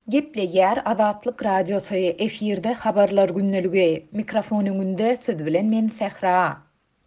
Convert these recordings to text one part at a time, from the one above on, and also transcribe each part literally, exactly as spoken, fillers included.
Gepleýär Azatlyk Radiosy, efirde Habarlar gündeligi. Mikrofon öňünde siz bilen men Sähra.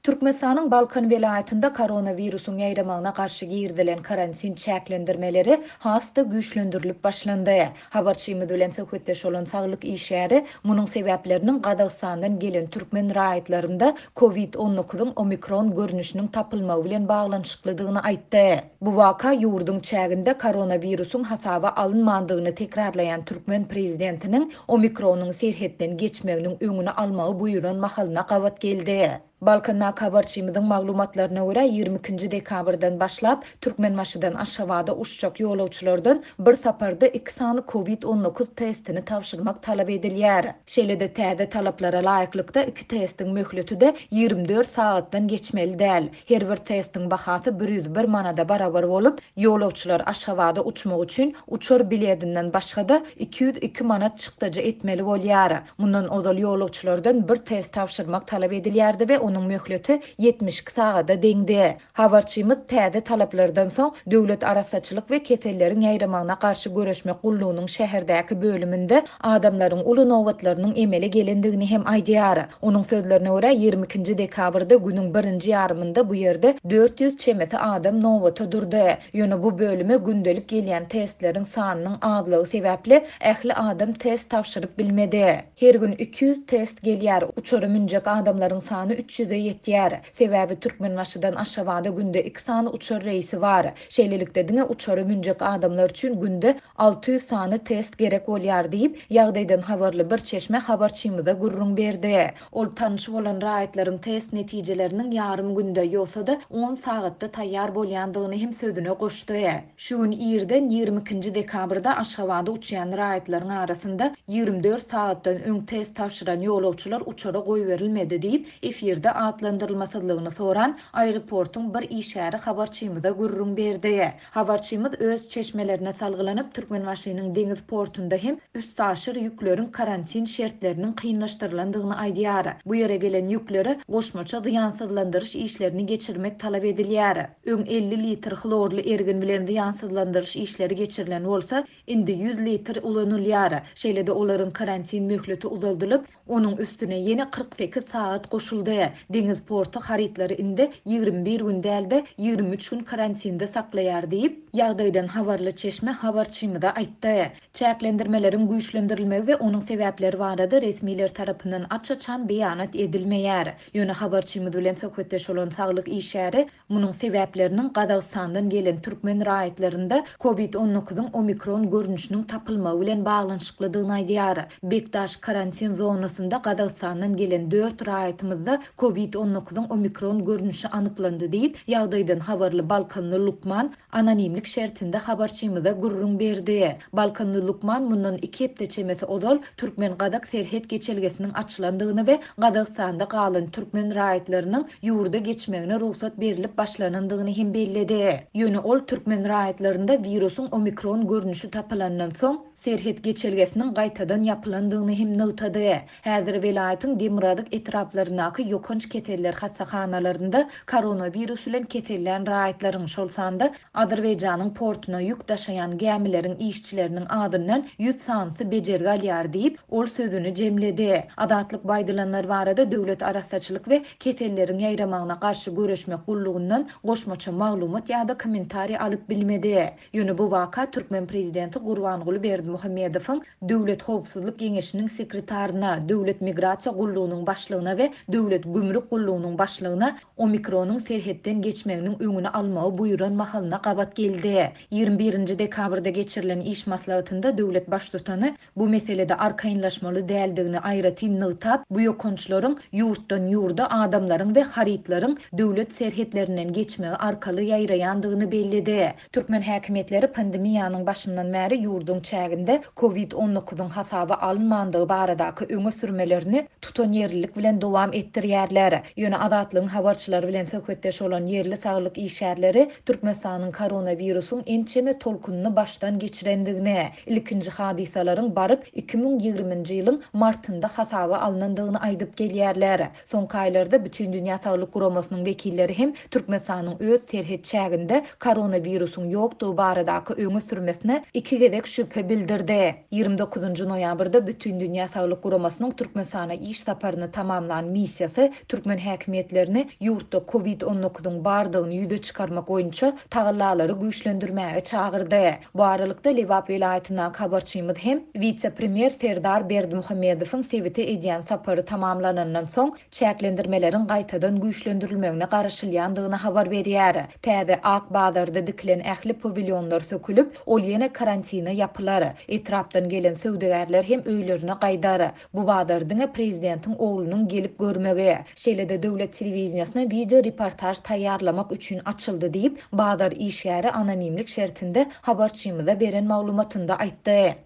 Türkmenistanyň Balkan welaýatynda koronawirusyň ýaýramagyna garşy girizilen karantin çäklendirmeleri has-da güýçlendirilip başlandy. Habarçymyz bilen söhbetdeş bolan saglyk işgäri munuň sebäpleriniň Gazagystandan gelen türkmen raýatlarynda COVID on dokuzyň omikron görnüşiniň tapylmagy bilen baglanyşyklydygyny aýtdy. Bu waka ýurduň çäginde koronawirusyň hasaba alynmandygyny tekrarlaýan türkmen prezidentiniň omikronyň serhetden geçmeginiň öňüni almagy buýran mahalyna gabat geldi. Balkandaky habarçymyzyň maglumatlaryna görä ýigrimi ikinji dekabrdan başlap Türkmenbaşydan Aşgabada uçjak ýolagçylardan bir saparda iki sany COVID on dokuz testini tabşyrmak talap edilýär. Şeýle-de täze talaplara laýyklykda iki testiň möhleti de ýigrimi dört sagatdan geçmeli däl. Her bir testiň bahasy bir ýüz bir manada barabar bolup, ýolagçylar Aşgabada uçmak üçin uçar biletinden başga-da iki ýüz iki manat çykdajy etmeli bolýar. Mundan ozal ýolagçylardan bir test tabşyrmak talap edilýärdi we onuň möhleti ýetmiş iki sagada deňdi. Habarçymyz täze talaplardan soň döwlet arassaçylyk we keselleriň ýaýramagyna garşy göreşmek gullugynyň şäherdäki bölüminde adamlaryň uly nobatlarynyň emele gelendigini hem aýdýar. Onuň sözlerine görä ýigrimi ikinji dekabrda günüň birinji ýarymynda bu ýerde dört ýüz çemesi adam nobata durdy. Ýöne bu bölüme gündelik gelýän testleriň sanynyň azlygy sebäpli ähli adam test tabşyryp bilmedi. Her gün iki ýüz test gelýär. Uçara münjek adamlaryň sany üç ýüze ýetýär. Sebäbi Türkmenbaşydan Aşgabada günde iki sany uçar reýsi bar. Şeýlelikde diňe uçara münjek adamlar üçin günde alty ýüz sany test gerek bolýar diýip, ýagdaýdan habarly bir çeşme habarçymyza gürrüň berdi. Ol tanyş bolan raýatlaryň test netijeleriniň ýarym günde ýogsa-da on sagatda taýýar bolýandygyny hem sözüne goşdy. Şu gün irden ýigrimi ikinji dekabrda Aşgabada uçýan raýatlaryň arasynda ýigrimi dört sagatdan öň test tabşyran ýolagçylar uçara goýberilmedi diýip, efirde atlandyrylmasyzlygyny soran aeroportuň bir işgäri habarçymyza gürrüň berdi. Habarçymyz öz çeşmelerine salgylanyp Türkmenbaşynyň deňiz portunda hem üstaşyr ýükleriň karantin şertleriniň kynlaşdyrylandygyny aýdýar. Bu ýere gelen ýüklere goşmaça zyýansyzlandyryş işlerini geçirmek talap edilýär. Öň elli litr hlorly ergin bilen zyýansyzlandyryş işleri geçirilen bolsa, indi ýüz litr ulanylýar. Şeýle-de olaryň karantin möhleti uzaldylyp, onuň üstüne ýene kyrk sekiz sagat goşuldy. Deňiz porty harytlary indi ýigrimi bir gün dälde ýigrimi üç gün karantinde saklaýar diýip, ýagdaýdan habarly çeşme habarçymyza aýtdy. Çäklendirmeleriň güýçlendirilmegi we onuň sebäpleri barada resmiler tarapyndan aç-açan beýanat edilmeýär. Ýöne habarçymyz bilen söhbetdeş bolan saglyk işgäri munuň sebäpleriniň Gazagystandan gelen türkmen raýatlarynda COVID on dokuzyň omikron görnüşiniň tapylmagy bilen baglanyşyklydygyny aýdýar. Bekdaş karantin zonasynda Gazagystandan gelen dört raýatymyzda COVID on dokuzyň omikron görnüşi anyklandy diýip, ýagdaýdan habarly Balkanly lukman anonimlik şertinde habarçymyza gürrüň berdi. Balkanly lukman mundan iki hepde çemesi ozal Türkmen-Gazak serhet geçelgesiniň açylandygyny we Gazagystanda galan türkmen raýatlarynyň ýurda geçmegine rugsat berilip başlanandygyny hem belledi. Ýöne ol türkmen raýatlarynda wirusyň omikron görnüşi tapylandan soň serhet geçelgesiniň gaýtadan ýapylandygyny hem nygtady. Häzir welaýatyň Demirgazyk etraplaryndaky ýokanç keseller hassahanalarynda koronawirus bilen kesellän raýatlaryň, şol sanda Azerbaýjanyň portuna ýük daşaýan gämileriň işçileriniň adyndan ýüz sanysy bejergi alýar diýip, ol sözüni jemledi. Azatlyk baýdylanlar barada döwlet arassaçylyk we keselleriň ýaýramagyna garşy göreşmek gullugyndan goşmaça maglumat ýa-da kommentariý alyp bilmedi. Ýöne bu waka türkmen prezidenti Gurbanguly Berdimuhamedowyň Döwlet Howpsuzlyk Geňeşiniň sekretaryna, Döwlet Migrasiýa Gullugynyň başlygyna we Döwlet Gümrük Gullugynyň başlygyna omikronyň serhetden geçmeginiň öňüni almagy buýran mahalyna gabat geldi. ýigrimi birinji dekabrda geçirilen iş maslahatynda döwlet baştutany bu meselede arkaýynlaşmaly däldigini aýratyn nygtap, bu ýokançlaryň ýurtdan ýurda adamlaryň we harytlaryň döwlet serhetlerinden geçmegi arkaly ýaýraýandygyny belledi. Türkmen häkimiýetleri pandemiýanyň başyndan bäri ýurduň çäginde COVID on dokuzyň hasaba alynmandygy baradaky öňe sürmelerini tutanýerlilik bilen dowam etdirýärler. Ýöne Azatlygyň habarçylary bilen söhbetdeş bolan ýerli saglyk işgärleri Türkmenistanyň koronawirusyň ençeme tolkunyny başdan geçirendigini, ilkinji hadysalaryň baryp iki müň ýigriminji ýylyň martynda hasaba alynandygyny aýdyp gelýärler. Soňky aýlarda Bütün Dünýä Saglyk Guramasynyň wekilleri hem Türkmenistanyň öz serhet çäginde koronawirusyň ýokdugy baradaky öňe sürmesine iki gezek şübhe bildirdi. bildirdi. Ýigrimi dokuzynjy noýabrda Bütindünýä saglyk guramasynyň Türkmenistana iş saparyny tamamlan missiýasy türkmen häkimiýetlerini ýurtda kowid on dokuzyň bardygyny ýüze çykarmak boýunça tagallalary güýçlendirmäge çagyrdy. Bu aralykda, Lebap welaýatyndaky habarçymyz hem wise-premýer Serdar Berdimuhamedowyň sebite edýän sapary tamamlanandan soň çäklendirmeleriň gaýtadan güýçlendirilmegine garaşylýandygyny habar berýär. Täze Ak bazarda dikilen ähli pawilýonlar sökülip, ol ýene karantine ýapylar. Etrapdan gelen söwdagärler hem öýlerine gaýdar. Bu bazar diňe prezidentiň oglunyň gelip görmegi, şeýle-de döwlet telewideniýesine wideo reportaž taýýarlamak üçin açyldy diýip, bazar işgäri anonimlik şertinde habarçymyza beren maglumatynda aýtdy.